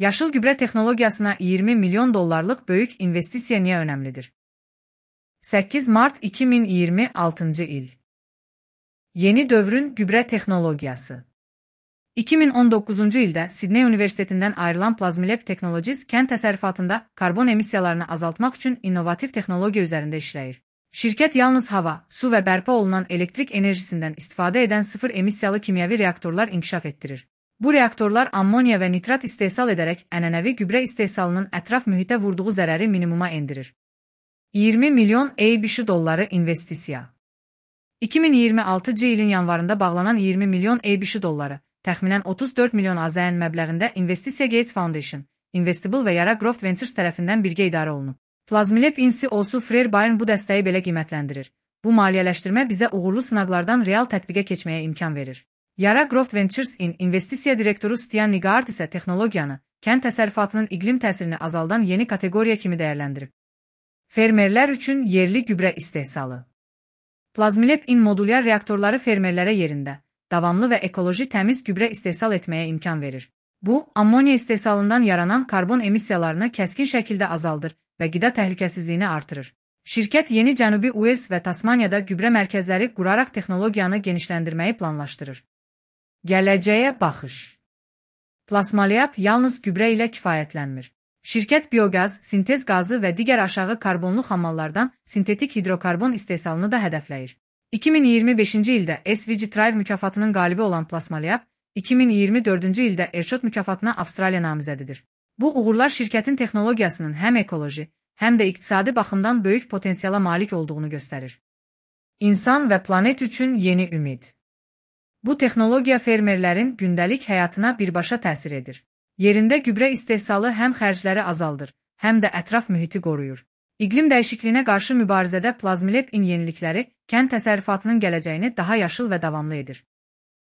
Yaşıl gübre texnologiyasına 20 milyon dollarlıq böyük investisiya niyə önəmlidir? 8 Mart 2026 il. Yeni dövrün gübre texnologiyası. 2019-cu ildə Sidney Universitetindən ayrılan Plazmilab Technologies kənd təsərrüfatında karbon emissiyalarını azaltmaq üçün innovativ texnologiya üzərində işləyir. Şirkət yalnız hava, su və bərpa olunan elektrik enerjisindən istifadə edən sıfır emissiyalı kimyəvi reaktorlar inkişaf etdirir. Bu reaktorlar ammoniya və nitrat istehsal edərək ənənəvi gübre istehsalının ətraf mühitə vurduğu zərəri minimuma endirir. 20 milyon $. investisiya. 2026-cı ilin yanvarında bağlanan 20 milyon $, təxminən 34 milyon AZN məbləğində investisiya Gates Foundation, Investible və Yara Growth Ventures tərəfindən birgə idarə olunub. Plazmilab CEO-su Frere Byrne bu dəstəyi belə qiymətləndirir. Bu maliyyələşdirmə bizə uğurlu sınaqlardan real tətbiqə keçməyə imkan verir. Yara Growth Ventures-in investisiya direktoru Stian Nygaard isə texnologiyanı, kənd təsərrüfatının iqlim təsirini azaldan yeni kateqoriya kimi dəyərləndirib. Fermerlər üçün yerli gübre istehsalı. Plazmilab-in modulyar reaktorları fermerlərə yerində, davamlı və ekoloji təmiz gübre istehsal etməyə imkan verir. Bu, ammoniya istehsalından yaranan karbon emissiyalarını kəskin şəkildə azaldır və qida təhlükəsizliyini artırır. Şirkət yeni Cənubi Uels və Tasmaniyada gübre mərkəzləri quraraq texnologiyanı genişləndirməyi planlaşdırır. Gələcəyə baxış. Plazmilab yalnız gübre ilə kifayətlənmir. Şirkət bioqaz, sintez qazı və digər aşağı karbonlu xammallardan sintetik hidrokarbon istehsalını da hədəfləyir. 2025-ci ildə SVG Thrive mükafatının qalibi olan Plazmilab, 2024-cü ildə Earshot mükafatına Avstraliya namizədidir. Bu uğurlar şirkətin texnologiyasının həm ekoloji, həm də iqtisadi baxımdan böyük potensiala malik olduğunu göstərir. İnsan və planet üçün yeni ümid. Bu texnologiya fermerlərin gündəlik həyatına birbaşa təsir edir. Yerində gübre istehsalı həm xərcləri azaldır, həm də ətraf mühiti qoruyur. İqlim dəyişikliyinə qarşı mübarizədə Plazmilab-in yenilikləri kənd təsərrüfatının gələcəyini daha yaşıl və davamlı edir.